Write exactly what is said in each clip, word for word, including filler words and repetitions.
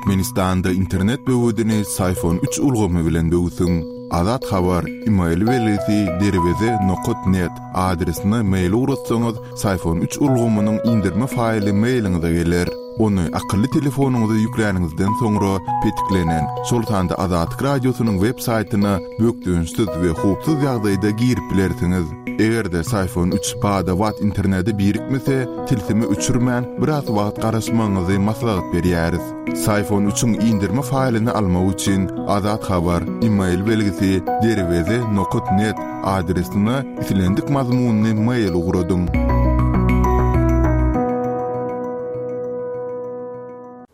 Türkmenistanda internet böwedini Psiphon üç ulgamy bilen böwsüň. Azat Habar, e-mail belgisi derweze nokat net adresine mail ugratsaňyz, Psiphon üç ulgamynyň indirme faýly mailiňize geler. Ony akylly telefonyňyza ýükläniňizden soňra petiklenen, şol sanda Azatlyk Radiosynyň web saýtyna bökdençsiz we howpsuz ýagdaýda girip bilersiňiz. Eger-de Psiphon üç bada-bat internete birikmese, tilsimi öçürmän biraz wagt garaşmagyňyzy maslahat berýäris. Psiphon üçiň indirme faýlyny almak üçin Azat Habar, e-mail belgisi derweze nokat net adresine islendik mazmunly mail ugradyň.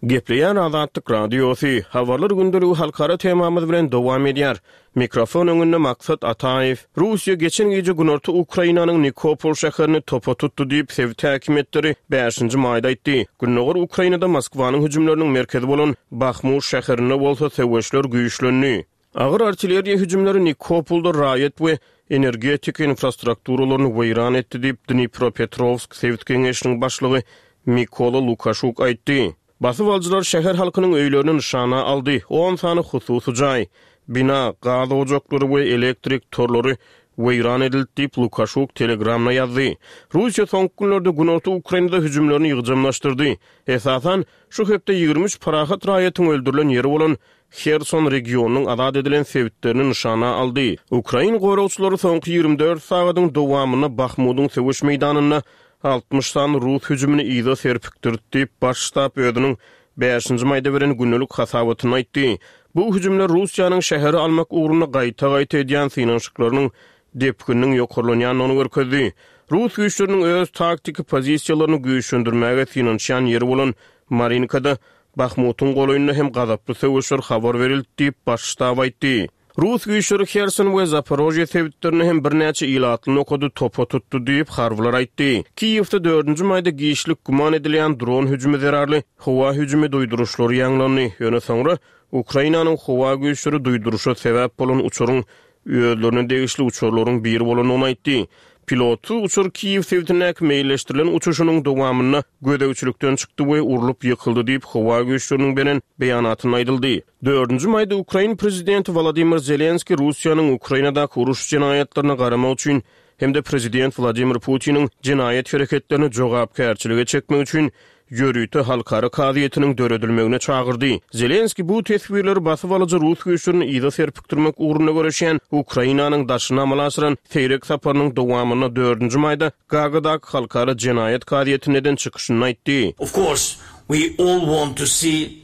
Gepleýän Azatlyk Radiosy, habarlar gündeligi halkara temamyz bilen dowam edýär. Mikrofon öňünde Maksat Ataýew. Russiýa geçen gije Günorta Ukrainanyň Nikopol şäherini topa tutdy diýip, sebit häkimiýetleri bäşinji maýda aýtdy. Gündogar Ukrainada Moskwanyň hüjümleriniň merkezi bolan Bahmut şäherinde bolsa söweşler güýçlendi. Agyr artilleriýa hüjümleri Nikopolda raýat we energetika infrastrukturalaryny weýran etdi diýip, Dnipropetrovsk sebit geňeşiniň başlygy Mikola Lukaşuk aýtdy. Basyp alyjylar şäher halkynyň öýlerini nyşana aldy. on sany hususy jaý, bina, gaz ojaklary we elektrik torlary weýran edildi diýip Lukaşuk Telegramda ýazdy. Russiýa soňky günlerde Günorta Ukrainada hüjümlerini ýygjamlaşdyrdy. Esasan, şu hepde ýigrimi üç parahat raýatyň öldürilen ýeri bolan Herson regionynyň azat edilen sebitlerini nyşana aldy. Ukrain goragçylary soňky ýigrimi dört sagadyň dowamynda Bahmudyň söweş meýdanynda altmyş sany rus hüjümini yza serpikdirdi diýip, baş ştab özüniň bäşinji maýda beren gündelik hasabatyny aýtdy. Bu hüjümler Russiýanyň şäheri almak ugrunda gaýta-gaýta edýän synanyşyklarynyň depgininiň ýokarlanýandygyny görkezdi. Rus güýçleriniň öz taktiki pozisiýalaryny güýçlendirmäge synanyşýan ýeri bolan Marinkada Bahmutyň golaýynda hem gazaply söweşler habar berildi diýip, baş ştab aýtdy. Rus güýçleri Herson we Zaporojye sebitlerini hem birnäçe ilatly nokady topa tutdy diýip, harbylar aýtdy. Kiýewde dördünji maýda giçlik güman edilýän dron hüjümi zerarly howa hüjümi duýduryşlary ýaňlandy. Ýöne soňra Ukrainanyň howa güýçleri duýduryşa sebäp bolan uçaryň özlerine degişli uçarlaryň biri bolandygyny aýtdy. Pilotsyz uçar Kiýew sebitindäki meýilleşdirilen uçuşynyň dowamynda gözegçilikden çykdy we urlup ýykyldy diýip, howa güýçleriniň beren beýanatynda aýdyldy. Dördünji maýda Ukrain prezidenti Wladimir Zelenski Russiýanyň Ukrainadaky uruş jenaýatlaryna garamak üçin hem-de prezident Wladimir Putiniň jenaýat hereketlerini jogapkärçilige çekmek üçin ýörite halkara kazyýetiniň döredilmegine çagyrdy. Zelenski bu teswirleri basyp alyjy rus güýçlerini yza serpikdirmek ugrunda göreşýän Ukrainanyň daşyna amala aşyran seýrek saparynyň dowamynda dördünji maýda Gagadaky halkara jenaýat kazyýetine eden çykyşyny aýtdy. Of course, we all want to see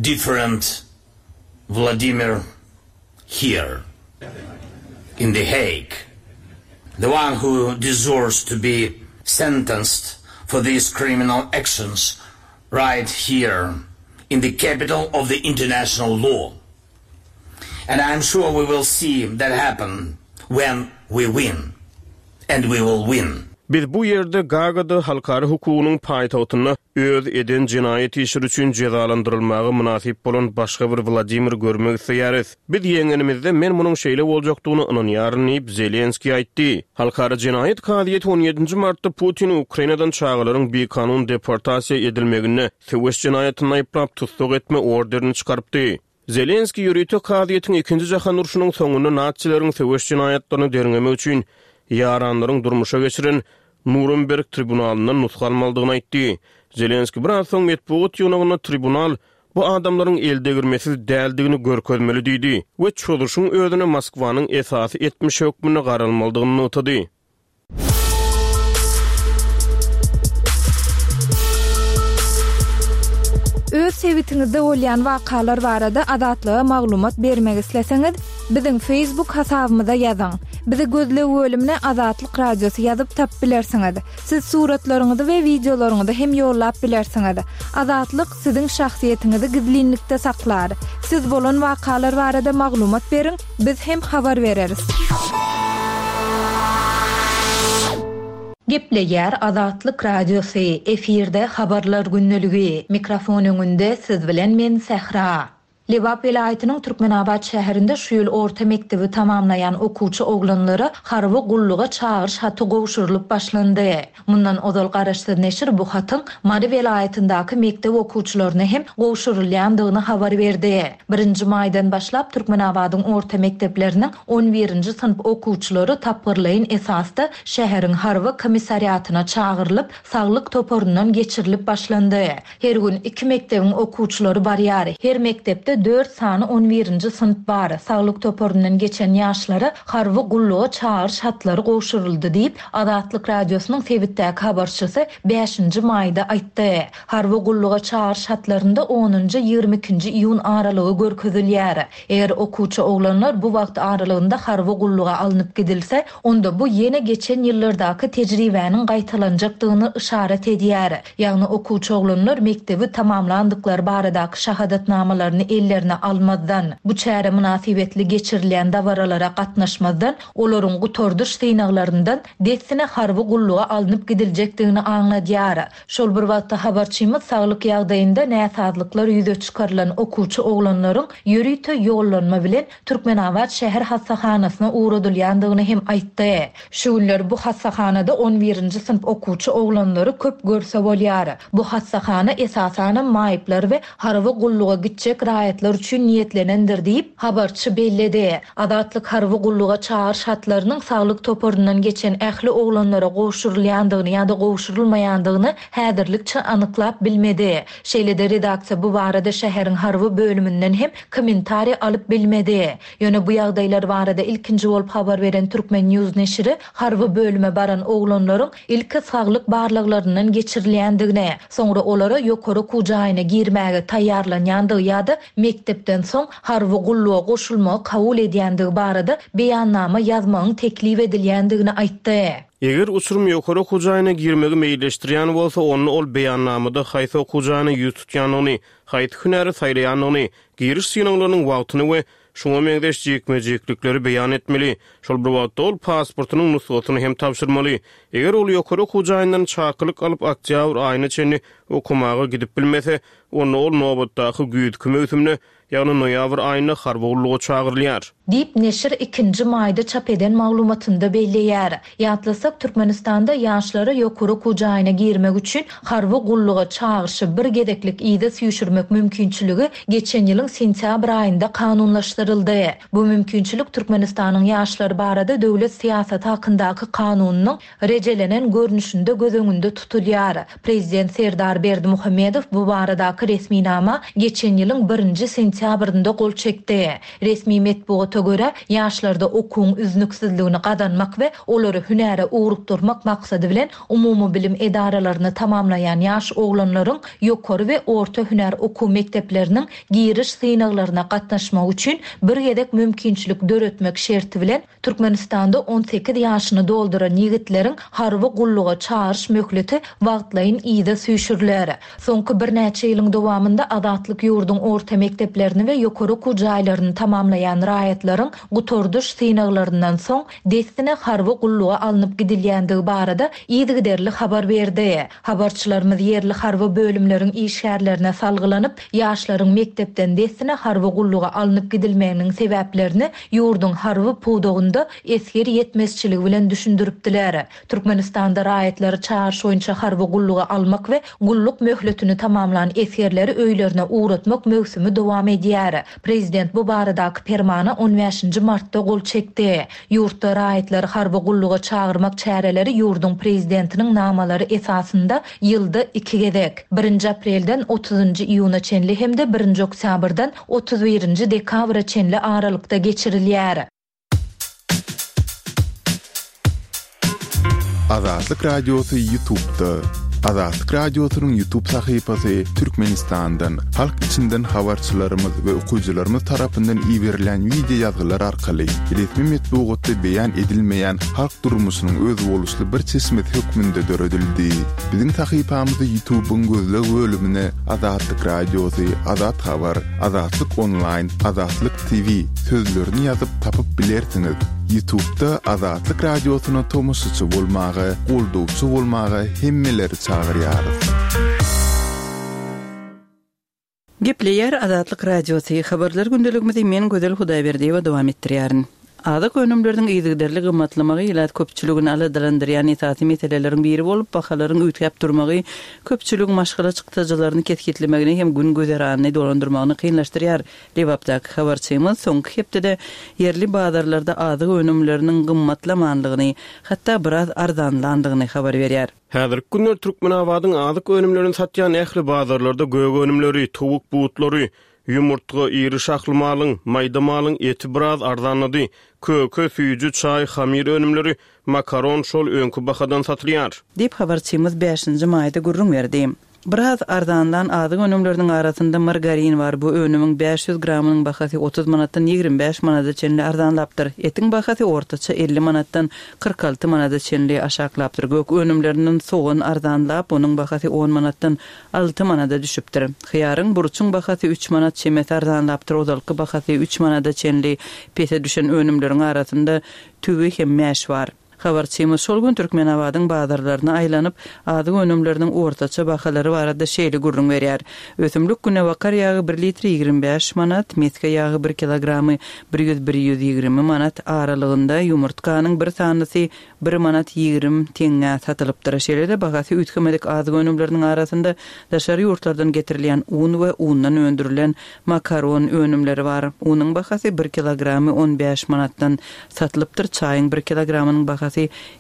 different Vladimir here in The Hague, the one who deserves to be sentenced for these criminal actions right here in the capital of the international law. And I'm sure we will see that happen when we win. And we will win. Biz bu ýerde Gagada halkara hukugynyň paýtagtynda öz eden jenaýat işleri üçin jezalandyrylmaga mynasyp bolan başga bir Wladimir görmek isleýäris. Biz ýeňenimizde men munuň şeýle boljakdygyny ynanýaryn diýip Zelenski aýtdy. Halkara jenaýat kazyýeti on ýedinji martda Putin Ukrainadan çagalaryň bikanun deportasiýa edilmeginde söweş jenaýatyny aýyplap tussag etme orderini çykarypdy. Zelenski ýörite kazyýetiň ikinji jahan urşunyň soňunda natsileriň söweş jenaýatlaryny derňemek üçin ýaranlaryň durmuşa geçiren Nuremberg tribunalyndan nusga almalydygyny aýtdy. Zelenski biraz soň metbugat ýygnagynda tribunal bu adamlaryň eldegirmesiz däldigini görkezmeli diýdi we çözüşiň özüne Moskwanyň esasy etmiş hökmünde garalmalydygyny nygtady. Öz sebitiňizde bolýan wakalar barada Azatlyga maglumat bermek isleseňiz, biziň Facebook hasabymyza ýazyň. Bizi gözleg bölümine Azatlyk Radiosy ýazyp tap bilersiňiz. Siz suratlaryňyzy we wideolaryňyzy hem ýollap bilersiňiz. Azatlyk siziň şahsyýetiňizi gizlinlikde saklar. Siz bolan wakalar barada maglumat beriň, biz hem habar bereris. Gepleýär Azatlyk Radiosy, efirde habarlar gündeligi. Mikrofon öňünde siz bilen men Sähra. Lebap welaýatynyň Türkmenabat şäherinde şu ýyl orta mekdebi tamamlaýan okuwçy oglanlara harby gulluga çagyryş haty gowşurylyp başlandy. Mundan ozal garaşsyz neşir bu hatyň Mary welaýatyndaky mekdep okuwçylaryna hem gowşurylýandygyny habar berdi. Birinji maýdan başlap Türkmenabadyň orta mekdepleriniň on birinji synp okuwçylary tapgyrlaýyn esasda şäheriň harby komissariatyna çagyrylyp, saglyk toparyndan geçirilip başlandy. Her gün iki mekdebiň okuwçylary barýar. Her mekdepde dört sany on birinji synp bar. Saglyk toparyndan geçen ýaşlara harby gulluga çagyryş hatlary gowşuryldy diýip, Azatlyk Radiosynyň sebitdäki habarçysy bäşinji maýda aýtdy. Harby gulluga çagyryş hatlarynda onunjy ýigrimi ikinji iýun aralygy görkezilýär. Eger okuwçy oglanlar bu wagt aralygynda harby gulluga alnyp gidilse, onda bu ýene geçen ýyllardaky tejribäniň gaýtalanjakdygyny yşarat edýär. Ýagny okuwçy oglanlar mekdebi tamamlandyklary baradaky şahadatnamalaryny ellerine almazdan, bu çäre mynasybetli geçirilýän dabaralara gatnaşmazdan, olaryň gutardyş synaglaryndan dessine harby gulluga alnyp gidiljekdigini aňladýar. Şol bir wagtda habarçymyz saglyk ýagdaýynda näsazlyklar ýüze çykarylan okuwçy oglanlaryň ýörite ýollanma bilen Türkmenabat şäher hassahanasyna ugradylýandygyny hem aýtdy. Şu günler bu hassahanada on birinji synp okuwçy oglanlary köp görse bolýar. Bu hassahana esasanam maýyplar we harby gulluga gitjek raýatlar üçin niýetlenendir diýip habarçy belledi. Azatlyk harby gulluga çagyryş hatlarynyň saglyk toparyndan geçen ähli oglanlara gowşurylýandygyny ýa-da gowşurylmaýandygyny häzirlikçe anyklap bilmedi. Şeýle-de redaksiýa bu barada şäheriň harby bölüminden hem kommentariý alyp bilmedi. Ýöne bu ýagdaýlar barada ilkinji bolup habar beren Türkmen News neşiri harby bölüme baran oglanlaryň ilki saglyk barlaglaryndan geçirilýändigini, soňra olara ýokary okuw jaýyna girmäge taýýarlanýandygy ýa-da mekdepden soň harby gulluga goşulmagy kabul edýändigi barada beýannama ýazmagyň teklip edilýändigini aýtdy. Eger uçurum ýokary okuw jaýyna girmegi meýilleşdirýän bolsa, onda ol beýannamada haýsy okuw jaýyna ýüz tutýandygyny, haýsy hünäri saýlaýandygyny, giriş synaglarynyň wagtyny we şuňa meňzeş jikme-jiklikleri beýan etmeli. Şol bir wagtda ol pasportynyň nusgasyny hem tabşyrmaly. Eger ol ýokary okuw jaýyndan çakylyk alyp oktýabr aýyna çenli okamaga gidip bilmese, onda ol nobatdaky güýzki möwsümde, ýagny noýabr aýynda harby gulluga çagyrylýar. Diýip neşir ikinji maýda çap eden maglumatynda belleýär. Ýatlasak, Türkmenistanda ýaşlara ýokary okuw jaýyna girmek üçin harby gulluga çagyryşy bir gezeklik ýa süýşürmek mümkinçiligi geçen ýylyň sentýabr aýynda kanunlaşdyryldy. Bu mümkinçilik Türkmenistanyň ýaşlar barada döwlet syýasaty hakyndaky kanunynyň rejelenen görnüşinde göz öňünde tutulýar. Prezident Serdar Berdimuhamedow bu baradaky resminama geçen ýylyň birinji sentýabrynda gol çekdi. Resmi metbugata görä, ýaşlarda okuwyň üznüksizligini gazanmak we olary hünäre ugrukdurmak maksady bilen umumy bilim edaralaryny tamamlaýan ýaş oglanlaryň ýokary we orta hünär okuw mekdepleriniň giriş synaglaryna gatnaşmak üçin bir gezek mümkinçilik döretmek şerti bilen Türkmenistanda on sekiz ýaşyny dolduran ýigitleriň harby gulluga çagyryş möhleti wagtlaýyn ýa süýşüriler. Soňky birnäçe ýylyň dowamynda Azatlyk ýurduň orta mekdeplerini we ýokary okuw jaýlaryny tamamlaýan raýatlaryň gutardyş synaglaryndan soň dessine harby gulluga alnyp gidilýändigi barada yzygiderli habar berdi. Habarçylarymyz ýerli harby bölümleriň işgärlerine salgylanyp, ýaşlaryň mekdepden dessine harby gulluga alnyp gidilmeginiň sebäplerini ýurduň harby pudagynda esger ýetmezçiligi bilen düşündiripdiler. Türkmenistanda raýatlary çagyryş boýunça harby gulluga almak we gulluk möhletini tamamlan esgerleri öýlerine ugratmak möwsümi dowam edýär. Prezident bu baradaky permana on bäşinji martda gol çekdi. Ýurtda raýatlary harby gulluga çagyrmak çäreleri ýurduň prezidentiniň namalary esasynda ýylda iki gezek, birinji aprelden otuzynjy iýuna çenli hem-de birinji oktýabrdan otuz birinji dekabra çenli aralykda geçirilýär. Azatlyk Radiosy YouTube'da. Azatlyk Radiosynyň YouTube sahypasy Türkmenistandan, halk içinden habarçylarymyz we okyjylarymyz tarapyndan iberilen video ýazgylar arkaly resmi metbugatda beýan edilmeýän halk durmuşynyň özboluşly bir çeşmesi hökmünde döredildi. Biziň sahypamyzy YouTube'yň gözleg bölümine Azatlyk Radiosy, Azat Habar, Azatlyk Online, Azatlyk T V sözlerini ýazyp tapyp bilersiňiz. YouTube'da Azatlyk Radiosyna tomaşaçy bolmaga, goldawçy bolmaga hemmeleri çagyrýarys. Gepleýär Azatlyk Radiosy, Habarlar gündeligimizi men Gözel Hudaýberdiýewa dowam etdirýärin. Azyk önümleriniň yzygiderli gymmatlamagy ilat köpçüligini aladalandyrýan esasy meseleleriň biri bolup, bahalaryň üýtgäp durmagy köpçüligiň maşgala çykdajylaryny kesgitlemegini hem gün-güzeranyny dolandyrmagyny kynlaşdyrýar. Lebapdaky habarçymyz soňky hepdede ýerli bazarlarda azyk önümleriniň gymmatlamanlygyny, hatda biraz arzanlandygyny habar berýär. Häzirki günler Türkmenabadyň azyk önümlerini satýan ähli bazarlarda gök önümleri, towuk butlary, ýumurtga, iri şahly malyň, maýda malyň eti biraz arzanlady. Köke, süýji, çaý, hamyr önümleri, makaron şol öňki bahadan satylýar. Diýip, habarçymyz bäşinji maýda gürrüň berdi. Biraz arzanlan azyk önümleriniň arasynda margarin bar. Bu önümiň bäş ýüz gramynyň bahasy otuz manatdan ýigrimi bäş manada çenli arzanlapdyr. Etiň bahasy ortaça elli manatdan kyrk alty manada çenli aşaklapdyr. Gök önümlerinden sogan arzanlap, onuň bahasy on manatdan alty manada düşüpdir. Hyýaryň, burçuň bahasy üç manat çemesi arzanlapdyr. Ozalky bahasy üç manada çenli pese düşen önümleriň arasynda tüwi hem mäş bar. Habarçymyz şol gün Türkmenabadyň bazarlaryna aýlanyp, azyk önümleriniň ortaça bahalary barada şeýle gürrüň berýär. Ösümlik günebakar ýagy bir litri ýigrimi bäş manat, mesge ýagy bir kilogramy bir ýüz bir ýüz ýigrimi manat aralygynda, ýumurtganyň bir sanysy bir manat ýigrimi teňňä satylypdyr. Şeýle-de bahasy üýtgemedik azyk önümleriniň arasynda daşary ýurtlardan getirilýän un we undan öndürilen makaron önümleri bar. Unuň bahasy bir kilogramy on bäş manatdan satylypdyr, çaýyň bir kilogramynyň bahasy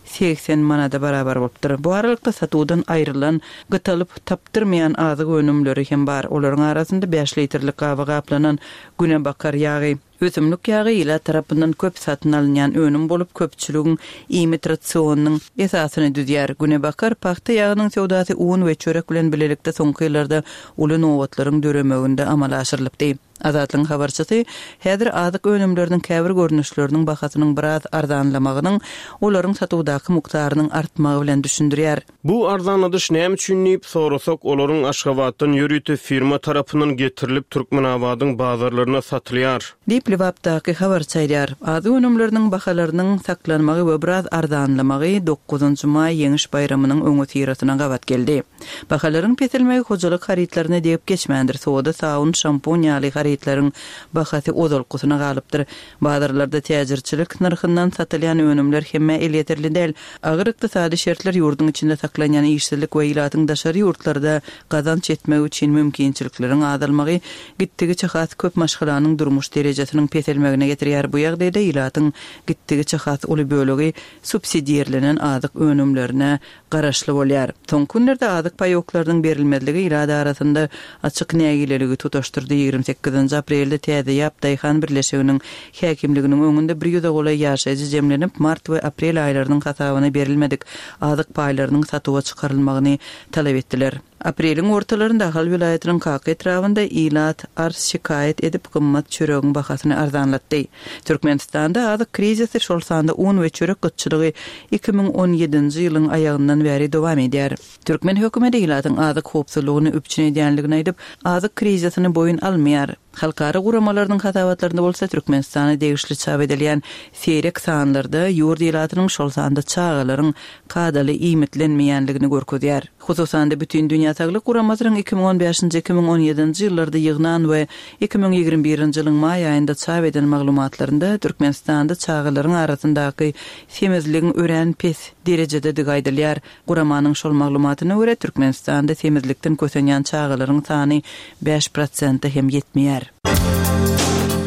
segsen manada barabar bolupdyr. Bu aralykda satuwdan aýrylan, gytalyp tapdyrmaýan azyk önümleri hem bar. Olaryň arasynda bäş litrlik gaba gaplanan günebakar ýagy, ösümlik ýagy ilat tarapyndan köp satyn alynýan önüm bolup, köpçüligiň iýmit rasionynyň esasyny düzýär. Günebakar pagta ýagynyň söwdasy un we çörek bilen bilelikde soňky ýyllarda uly nobatlaryň döremeginde amala aşyrylypdy. Azatlygyň habarçysy häzir azyk önümleriniň käbir görnüşleriniň bahasynyň biraz arzanlamagynyň olaryň satuwdaky mukdarynyň artmagy bilen düşündirýär. Bu arzanladyş näme üçin diýip sorasak, olaryň Aşgabatdan ýörite firma tarapyndan getirilip Türkmenabadyň bazarlaryna satylýar. Diýip Lebapdaky habarçy aýdýar. Azyk önümleriniň bahalarynyň saklanmagy we biraz arzanlamagy dokuzynjy maý Ýeňiş baýramynyň öňüsyrasyna gabat geldi. Bahalaryň peselmegi hojalyk harytlaryna degip geçmändir. Soda, sawun, şampun ýaly harytlaryň bahasy ozalkysyna galypdyr. Bazarlarda täjirçilik nyrhyndan satylýan önümler hemme elýeterli däl. Agyr ykdysady şertler ýurduň içinde saklanýan işsizlik we ilatyň daşary ýurtlarda gazanç etmek üçin mümkinçilikleriň azalmagy gitdigiçe has köp maşgalanyň durmuş derejesiniň peselmegine getirýär. Bu ýagdaýda ilatyň gitdigiçe has uly bölegi subsidirlenen azyk önümlerine garaşly bolýar. Soňky günlerde azyk paýoklarynyň berilmezligi ilat arasynda açyk nägileligi tutaşdyrdy. Ýigrimi sekizinji aprelde Täze Ýap Daýhan Birleşiginiň häkimliginiň öňünde bir ýüze golaý ýaşaýjy jemlenip, mart we aprel aýlarynyň hasabyna berilmedik azyk paýlarynyň satuwa çykarylmagyny talap etdiler. Apreliň ortalarynda Ahal welaýatynyň Kaka etrabynda ilat arz şikaýat edip gymmat çöregiň bahasyny arzanlatdy. Türkmenistanda azyk krizisi şol sanda un we çörek gytçylygy iki müň on ýedinji ýylyň aýagyndan bäri dowam edýär. Türkmen hökümeti ilatyň azyk howpsuzlygyny üpjün edýänligini aýdyp, azyk krizisini boýun almaýar. Halkara guramalarynyň hasabatlarynda bolsa Türkmenistana degişli çap edilýän seýrek sanlarda ýurt ilatynyň şol sanda çagalaryň kadaly iýmitlenmeýänligini görkezýär. Hususan-da Bütün Dünýä Saglyk Guramasynyň iki müň on bäşinji, iki müň on ýedinji ýyllarda ýygnan we iki müň ýigrimi birinji ýylyň maý aýynda çap eden maglumatlarynda Türkmenistanda çagalaryň arasyndaky semizligiň örän pes derejededigi aýdylýar. Guramanyň şol maglumatyna görä Türkmenistanda semizlikden kösenýän çagalaryň sany bäş prosente hem ýetmeýär.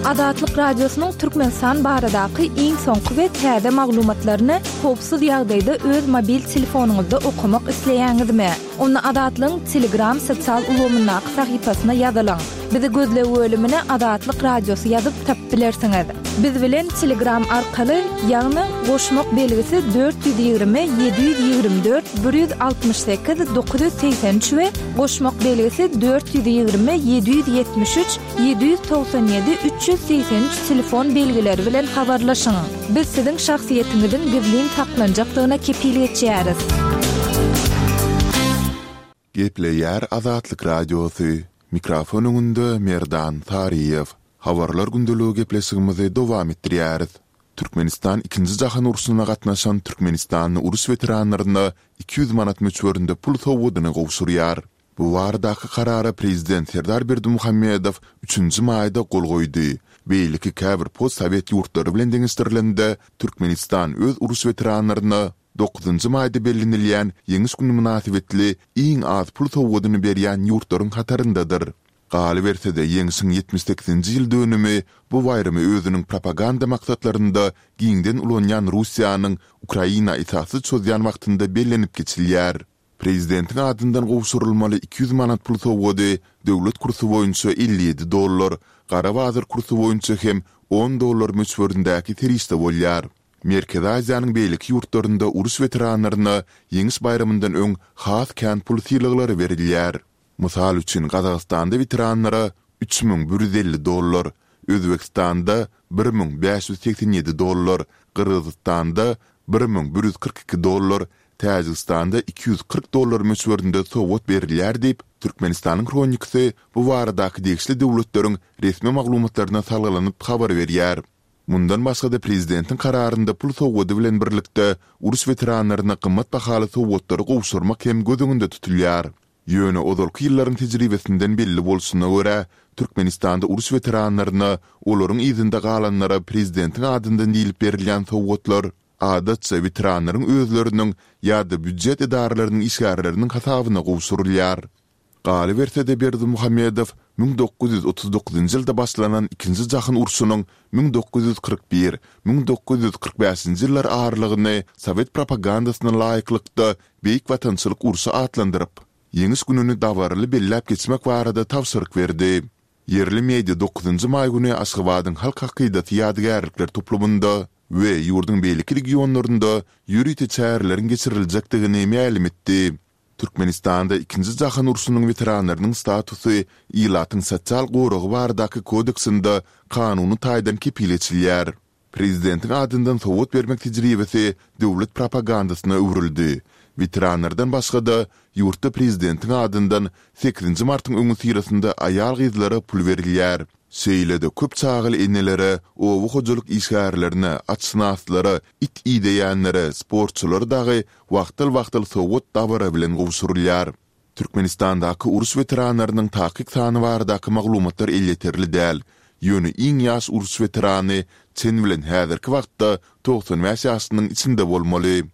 Azatlyk Radiosynyň Türkmenistan baradaky iň soňky we täze maglumatlaryny howpsuz ýagdaýda öz mobil telefonyňyzda okamak isleýäňizmi? Onda Azatlygyň Telegram sosial ulgamyndaky sahypasyna ýazylyň. Bizi gözleg bölümine Azatlyk Radiosy ýazyp tapyp bilersiňiz. Biz bilen Telegram arkaly, ýagny goşmak belgisi dört ýüz ýigrimi, ýedi ýüz ýigrimi dört, bir ýüz altmyş sekiz, dokuz ýüz segsen üç we goşmak belgisi dört ýüz ýigrimi, ýedi ýüz ýetmiş üç, ýedi ýüz togsan ýedi, üç ýüz segsen üç telefon belgileri bilen habarlaşyň. Biz siziň şahsyýetiňiziň gizlin saklanjakdygyna kepil geçýäris. Gepleýär Azatlyk Radiosy. Mikrofon öňünde Merdan Saryýew. Habarlar gündeligi gepleşigimizi dowam etdirýäris. Türkmenistan ikinji jahan urşuna gatnaşan Türkmenistanly uruş weteranlaryna iki ýüz manat möçberinde pul sowgadyny gowşurýar. Bu baradaky karara prezident Serdar Berdimuhamedow üçünji maýda gol goýdy. Beýleki käbir postsowet ýurtlary bilen deňeşdirilende, Türkmenistan öz uruş weteranlaryna dokuzynjy maýda bellenilýän Ýeňiş güni mynasybetli iň az pul sowgadyny berýän ýurtlaryň hataryndadyr. Galyberse-de, Ýeňşiň ýetmiş sekizinji ýyl dönümi bu baýramy özüniň propaganda maksatlarynda giňden ulanýan Russiýanyň Ukraina esassyz çozýan wagtynda bellenip geçilýär. Prezidentiň adyndan gowşurylmaly iki ýüz manat pul sowgady döwlet kursy boýunça elli ýedi dollar, gara bazar kursy boýunça hem on dollar möçberindäki serişde bolýar. Merkezi Aziýanyň beýleki ýurtlarynda uruş weteranlaryna Ýeňiş baýramyndan öň has kän pul sylaglary berilýär. Mysal üçin, Gazagystanda weteranlara üç müň bir ýüz elli dollar, Özbegistanda bir müň bäş ýüz segsen ýedi dollar, Gyrgyzystanda bir müň bir ýüz kyrk iki dollar, Täjigistanda iki ýüz kyrk dollar möçberinde sowgat berilýär diýip, Türkmenistanyň Hronikasy bu baradaky degişli döwletleriň resmi maglumatlaryna salgylanyp habar berýär. Mundan başga-da prezidentiň kararynda pul sowgady bilen birlikde uruş weteranlaryna gymmat bahaly sowgatlary gowşurmak hem göz öňünde tutulýar. Ýöne ozalky ýyllaryň tejribesinden belli bolşuna görä, Türkmenistanda uruş weteranlaryna, olaryň yzynda galanlara prezidentiň adyndan diýlip berilýän sowgatlar, adatça, weteranlaryň özleriniň ýa-da býujet edaralarynyň işgärleriniň hasabyna gowşurylýar. Galyberse-de Berdimuhamedow müň dokuz ýüz otuz dokuzynjy ýylda başlanan Ikinji jahan urşunyň müň dokuz ýüz kyrk bir, müň dokuz ýüz kyrk bäşinji ýyllar aralygyny sowet propagandasyna laýyklykda Beýik Watançylyk urşy atlandyryp, Ýeňiş gününi dabaraly belläp geçmek barada tabşyryk berdi. Ýerli media dokuzynjy maý güni Aşgabadyň Halk hakydasy ýadygärlikler toplumynda we ýurduň beýleki regionlarynda ýörite çäreleriň geçiriljekdigini mälim etdi. Türkmenistanda Ikinji jahan urşunyň weteranlarynyň statusy Ilatyň sosial goragy baradaky kodeksinde kanuny taýdan kepil geçilýär. Prezidentiň adyndan sowgat bermek tejribesi döwlet propagandasyna öwrüldi. Weteranlardan başga-da, ýurtda prezidentiň adyndan sekizinji martyň öňüsyrasynda aýal-gyzlara pul berilýär. Şeýle-de köp çagaly enelere, oba hojalyk işgärlerine, atşynaslara, it ideýänlere, sportçulara dagy wagtal-wagtal sowgat dabara bilen gowşurylýar. Türkmenistandaky uruş weteranlarynyň takyk sany baradaky maglumatlar elýeterli däl. Ýöne iň ýaş uruş weterany çen bilen häzirki wagtda togsan bäş ýaşynyň içinde bolmaly.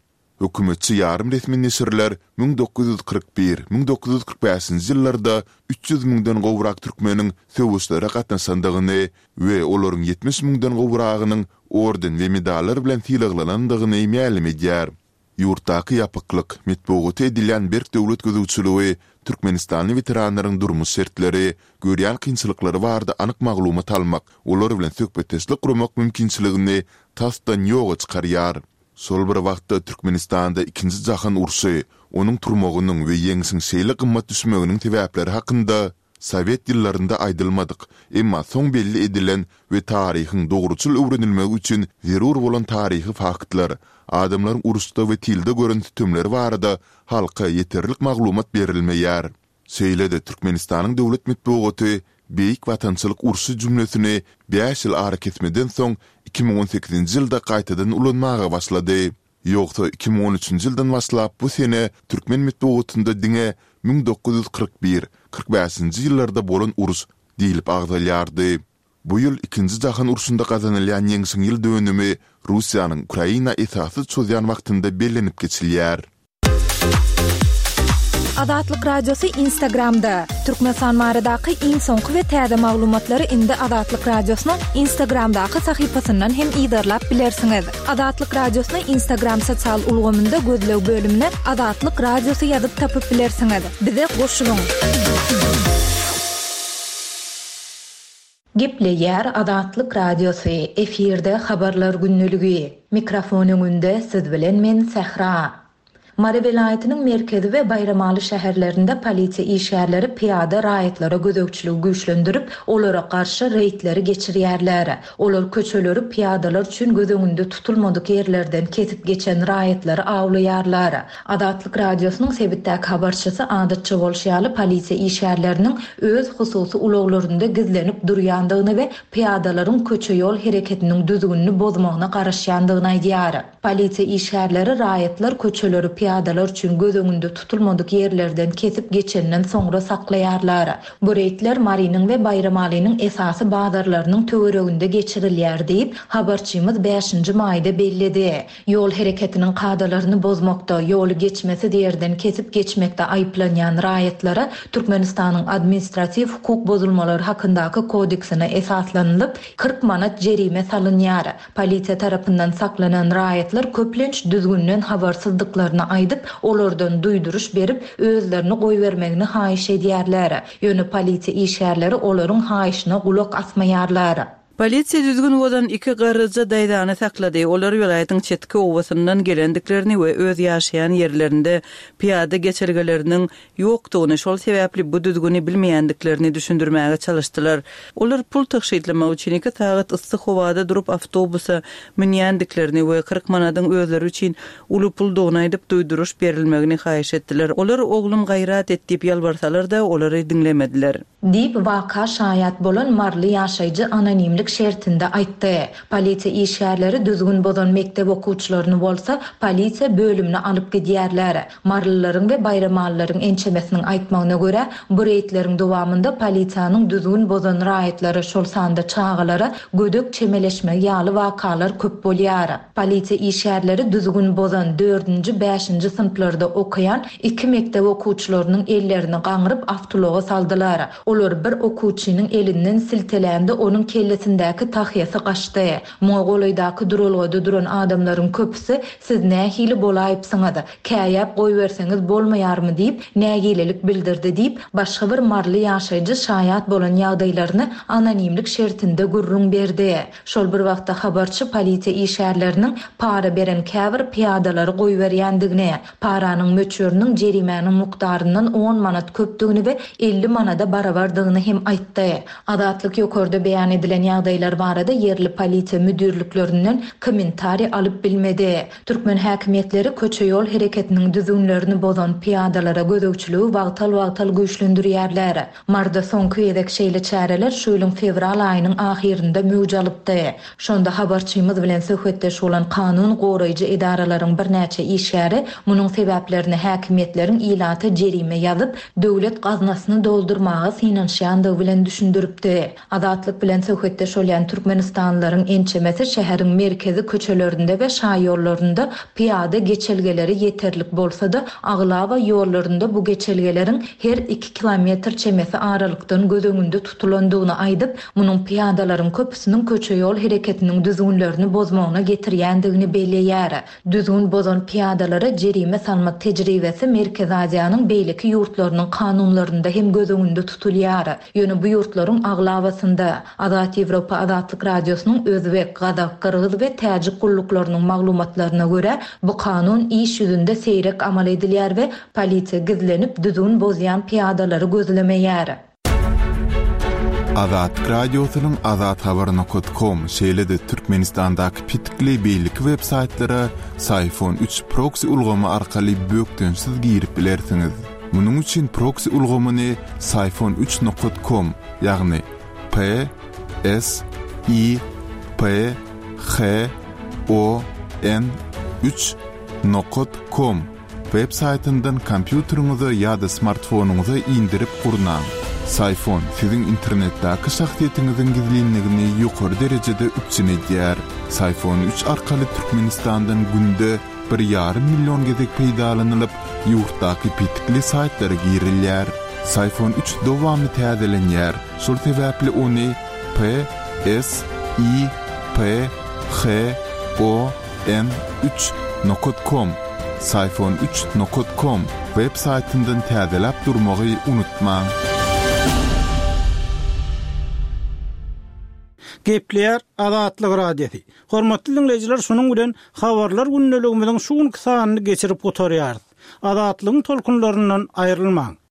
Hökümetçi ýarym resmi neşirler müň dokuz ýüz kyrk bir, müň dokuz ýüz kyrk bäşinji ýyllarda üç ýüz müňden gowrak türkmeniň söweşlere gatnaşandygyny we olaryň ýetmiş müňden gowragynyň orden we medallar bilen sylaglanandygyny mälim edýär. Ýurtdaky ýapyklyk, metbugata edilýän berk döwlet gözegçiligi türkmenistanly weteranlaryň durmuş şertleri, görýän kynçylyklary barada anyk maglumat almak, olar bilen söhbetdeşlik guramak mümkinçiligini tasdan ýoga çykarýar. Şol bir wagtda Türkmenistanda Ikinji jahan urşy, onuň turmagynyň we ýeňşiň şeýle gymmat düşmeginiň sebäpleri hakynda sowet ýyllarynda aýdylmadyk, emma soň belli edilen we taryhyň dogruçyl öwrenilmegi üçin zerur bolan taryhy faktlar, adamlaryň uruşda we tylda gören sütemleri barada halka ýeterlik maglumat berilmeýär. Şeýle-de Türkmenistanyň döwlet metbugaty Beýik Watançylyk urşy jümlesini bäş ýyl arakesmeden soň iki müň on sekizinji ýylda gaýtadan ulanmaga başlady. Ýogsa iki müň on üçünji ýyldan başlap bu sene türkmen metbugatynda diňe müň dokuz ýüz kyrk bir, kyrk bäşinji ýyllarda bolan uruş diýlip agzalýardy. Bu ýyl Ikinji jahan urşunda gazanylýan ýeňşiň ýyl dönümi Russiýanyň Ukraina esassyz çozýan wagtynda bellenip geçilýär. Azatlyk Radiosy Instagramda. Türkmenistan baradaky iň soňky we täze maglumatlary indi Azatlyk Radiosynyň Instagramdaky sahypasyndan hem yzarlap bilersiňiz. Azatlyk Radiosyny Instagram sosial ulgamynda gözleg bölümine Azatlyk Radiosy ýazyp tapyp bilersiňiz. Bize goşulyň! Gepleýär Azatlyk Radiosy, efirde Habarlar gündeligi. Mikrofon öňünde siz bilen men Sähra. Mary welaýatynyň merkezi we Baýramaly şäherlerinde polisiýa işgärleri pyýada raýatlara gözegçiligi güýçlendirip, olara garşy reýdleri geçirýärler. Olar köçeleri pyýadalar üçin göz öňünde tutulmadyk ýerlerden kesip geçen raýatlary awlaýarlar. Azatlyk Radiosynyň sebitdäki habarçysy adatça bolşy ýaly polisiýa işgärleriniň öz hususy ulaglarynda gizlenip durýandygyny we pyýadalaryň köçe-ýol hereketiniň düzgünini bozmagyna garaşýandygyny aýdýar. Polisiýa işgärleri raýatlar köçeleri pyýadalar üçin göz öňünde tutulmadyk ýerlerden kesip geçenden soňra saklaýarlar. Bu reýdler Marynyň we Baýramalynyň esasy bazarlarynyň töwereginde geçirilýär diýip, habarçymyz bäşinji maýda belledi. Ýol hereketiniň kadalaryny bozmakda, ýoly geçmesiz ýerden kesip geçmekde aýyplanýan raýatlara Türkmenistanyň Administratiw hukuk bozulmalary hakyndaky kodeksine esaslanylyp, kyrk manat jerime salynýar. Polisiýa tarapyndan saklanan raýatlar köplenç düzgünden habarsyzdyklaryny aýdyp, olardan duýduryş berip, özlerini goýbermegini haýyş edýärler. Ýöne polisiýa işgärleri olaryň haýyşyna gulak asmaýarlar. Polisiýa düzgün bozan iki garryja daýzany saklady. Olar welaýatyň çetki obasyndan gelendiklerini we öz ýaşaýan ýerlerinde pyýada geçelgeleriniň ýokdugyny, şol sebäpli bu düzgüni bilmeýändiklerini düşündirmäge çalyşdylar. Olar pul tygşytlamak üçin iki sagat yssy howada durup awtobusa münýändiklerini we kyrk manadyň özleri üçin uly puldugyny aýdyp duýduryş berilmegini haýyş etdiler. Olar oglum gaýrat et diýip ýalbarsalar-da, olary diňlemediler. Diýip, waka şaýat bolan maryly ýaşaýjy anonimlik şertinde aýtdy. Polisiýa işgärleri düzgün bozan mekdep okuwçylaryny bolsa polisiýa bölümine alyp gidýärler. Marylylaryň we baýramalylaryň ençemesiniň aýtmagyna görä, bu reýdleriň dowamynda polisiýanyň düzgün bozan raýatlara, şol sanda çagalara gödek çemeleşmegi ýaly wakalar köp bolýar. Polisiýa işgärleri düzgün bozan dördünji, bäşinji synplarda okaýan iki mekdep okuwçylarynyň ellerini gaňryp awtoulaga saldylar. Olar bir okuwçynyň elinden siltelände onuň kellesindäki tahýasy gaçdy. Muňa golaýdaky duralgada duran adamlaryň köpüsi siz nähili bolaýypsyňyz, käýäp goýberseňiz bolmaýarmy diýip nägilelik bildirdi diýip, başga bir maryly ýaşaýjy şaýat bolan ýagdaýlaryny anonimlik şertinde gürrüň berdi. Şol bir wagtda habarçy polisiýa işgärleriniň para beren käbir pyýadalary goýberýändigini, paranyň möçberiniň jerimäniň mukdaryndan on manat köpdügini we elli manada barabardygyny hem aýtdy. Azatlyk ýokarda beýan edilen ýagdaýlar barada ýerli polisiýa müdirliklerinden kommentariý alyp bilmedi. Türkmen häkimiýetleri köçe ýol hereketiniň düzgünlerini bozan pyýadalara gözegçiligi wagtal-wagtal güýçlendirýärler. Marda soňky gezek şeýle çäreler şu ýylyň fewral aýynyň ahyrynda möwç alypdy. Şonda habarçymyz bilen söhbetdeş bolan kanun goraýjy edaralaryň birnäçe işgäri munuň sebäplerini häkimiýetleriň ilata jerime ýazyp, döwlet gaznasyny doldurmaga synanyşýandygy bilen düşündiripdi. Azatlyk bilen söhbetdeş bolýan Türkmenistanlylaryň ençemesi şäheriň merkezi köçelerinde we şaýollarynda pyýada geçelgeleri ýeterlik bolsa-da, aglaba ýollarynda bu geçelgeleriň her iki kilometr çemesi aralykdan göz öňünde tutulandygyny aýdyp, munuň pyýadalaryň köpüsiniň köçe ýol hereketiniň düzgünlerini bozmagyna getirýändigini belleýär. Düzgün bozan pyýadalara jerime salmak tejribesi Merkezi Aziýanyň beýleki ýurtlarynyň kanunlarynda hem göz öňünde tutulýar. Ýöne bu ýurtlaryň aglabasynda Azat Ýewropa Azatlyk Radiosynyň özbek, gazak, gyrgyz we täjik gulluklarynyň maglumatlaryna görä, bu kanun iş ýüzünde seýrek amal edilýär we polisiýa gizlenip düzgün bozýan pyýadalary gözlemeýär. Azatlyk Radiosynyň azathabar nokta com, şeýle-de Türkmenistandaky petikli beýleki web-saýtlara Syfon üç proxy ulgamy arkaly bökdençsiz girip bilersiňiz. Munuň üçin proxy ulgamyny Syfon üç nokta com, ýagny P S I P H O N üç nokta com web saýtyndan kompýuteriňize ýa-da smartfonyňyza indirip gurnaň. Syfon siziň internetdäki şahsyýetiňiziň gizlinligini ýokary derejede üpjün edýär. Syfon üç arkaly Türkmenistandan günde bir ýarym million gezek peýdalanylyp, ýurtdaky petikli saýtlara girilýär. Syfon üç dowamly täzelenýär. Şol sebäpli ony P S I P H O N üç nokta com, Syfon üç nokta com web saýtyndan täzeläp durmagy unutmaň. Gepleýär Azatlyk Radiosy. Hormatly dinleýjiler, şunuň bilen habarlar gündeligimiziň şu günki sanyny geçirip gutarýarys. Azatlygyň tolkunlaryndan aýrylmaň.